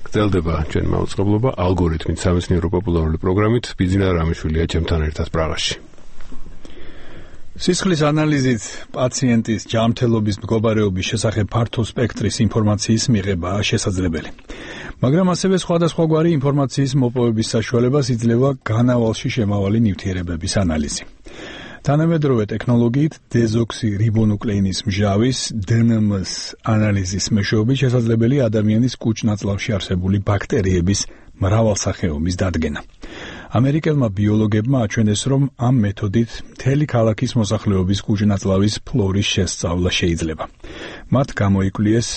გრძელდება ჩვენ მაუწყებლობა ალგორითმით სამეცნიერო პოპულარული პროგრამით. ბიძინა რამიშვილია ჩემთან ერთად პრაღაში. სისხლის ანალიზით პაციენტის ჯანმრთელობის მდგომარეობის შესახებ ფართო სპექტრის ინფორმაციის მიღებაა შესაძლებელი. მაგრამ ასევე სხვადასხვაგვარი ინფორმაციის მოპოვების საშუალებას იძლევა განავალში შემავალი ნივთიერებების ანალიზი. თანამედროვე ტექნოლოგიით დეზოქსირიბონუკლეინის მჟავის DNMS ანალიზის მეშვეობით შესაძლებელი ადამიანის კუჭ-ნაწლავში არსებული ბაქტერიების მრავალსახეობის დადგენა. ამერიკელმა ბიოლოგებმა აჩვენეს, რომ ამ მეთოდით მთელი ქალაქის მოსახლეობის კუჭ-ნაწლავის ფლორის შესწავლა შეიძლება. მათ გამოიკვლიეს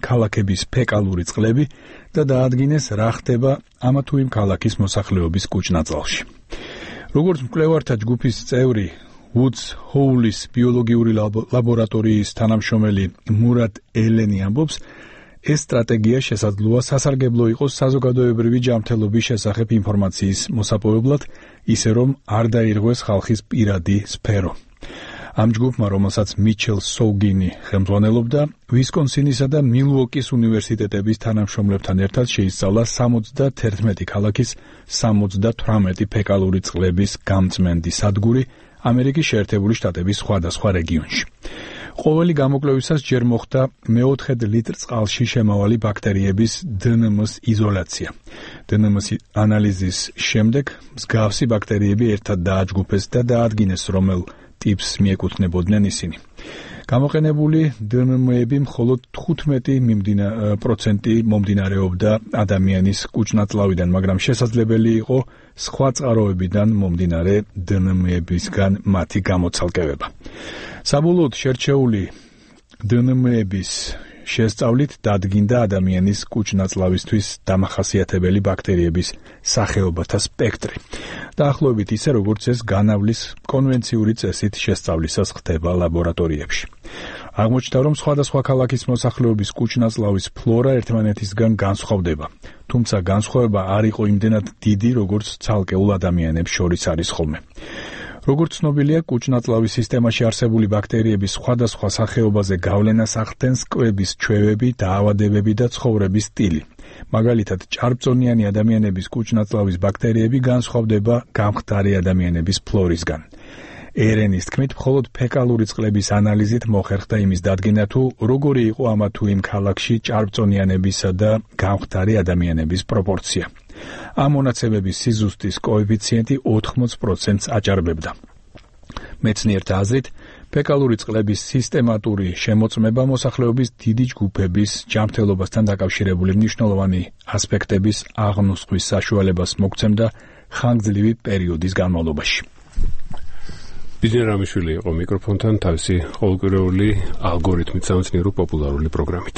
ქალაქების ფეკალური წყლები და დაადგინეს, რა ხდება ამა თუ იმ ქალაქის მოსახლეობის კუჭ-ნაწლავში. როგორც მკვლევართა ჯგუფის წევრი Woods Hole-ის ბიოლოგიური ლაბორატორიის თანამშრომელი მურატ ელენი ამბობს, ეს სტრატეგია შესაძლოა სასარგებლო იყოს საზოგადოებრივი ჯანმრთელობის შესახებ ინფორმაციის მოსაპოვებლად, ისე რომ არ დაირღვეს ხალხის პირადი სფერო. ამ ჯგუფმა, რომელსაც მიჩელ სოუგინი ხელმძღვანელობდა, ვისკონსინისა და მილუოკის უნივერსიტეტების თანამშრომლებთან ერთად შეისწავლა 71 ქალაქის 78 ფეკალური წყლების გამწმენდი სადგური ამერიკის შეერთებული შტატების სხვადასხვა რეგიონში. ყოველი გამოკვლევისას ჯერ მოხდა მე-4 ლიტრ წყალში შემავალი ბაქტერიების DNMS იზოლაცია. DNMS ანალიზის შემდეგ მსგავსი ბაქტერიები ერთად დააჯგუფეს და დაადგინეს, რომელ ტიპს მიეკუთვნებოდნენ ისინი. გამოყენებული DNM-ები მხოლოდ 15% მომდინარეობდა ადამიანის კუჭ-ნაწლავიდან, მაგრამ შესაძლებელი იყო სხვა წყაროებიდან მომდინარე DNM-ებისგან მათი გამოცალკევება. საბოლოოდ შერჩეული DNM-ების შესწავლით დადგინდა ადამიანის კუჭ-ნაწლავისთვის დამახასიათებელი ბაქტერიების სახეობათა სპექტრი. დაახლოებით ისე, როგორც ეს განავლის კონვენციური წესით შესწავლისას ხდება ლაბორატორიებში. აღმოჩნდა, რომ სხვადასხვა ქალაქის მოსახლეობის კუჭ-ნაწლავის ფლორა ერთმანეთისგან განსხვავდება, თუმცა განსხვავება არ იყო იმდენად დიდი, როგორც ცალკეულ ადამიანებს შორის არის ხოლმე. როგორც ცნობილია, კუჭ-ნაწლავის სისტემაში არსებული ბაქტერიების სხვადასხვა სახეობაზე გავლენას ახდენს კვების ჩვევები, დაავადებები და ცხოვრების სტილი. მაგალითად, ჭარბწონიანი ადამიანების კუჭ-ნაწლავის ბაქტერიები განსხვავდება გამხდარი ადამიანების ფლორისგან. ერენის თქმით, მხოლოდ ფეკალური წყლების ანალიზით მოხერხდა იმის დადგენა, თუ როგორი იყო ამა თუ იმ ქალაქში ჭარბწონიანებისა და გამხდარი ადამიანების პროპორცია. ამ მონაცემების სიზუსტის კოეფიციენტი 80%-ს აჭარბებდა. მეცნიერთა აზრით, ფეკალური წყლების სისტემატური შემოწმება მოსახლეობის დიდი ჯგუფების ჯანმრთელობასთან დაკავშირებული მნიშვნელოვანი ასპექტების აღნოსხვის საშუალებას მოგცემდა ხანგრძლივი პერიოდის განმავლობაში. ბიძინა რამიშვილი იყო მიკროფონთან თავისი ყოველკვირეული ალგორითმით სამეცნიერო პოპულარული პროგრამით.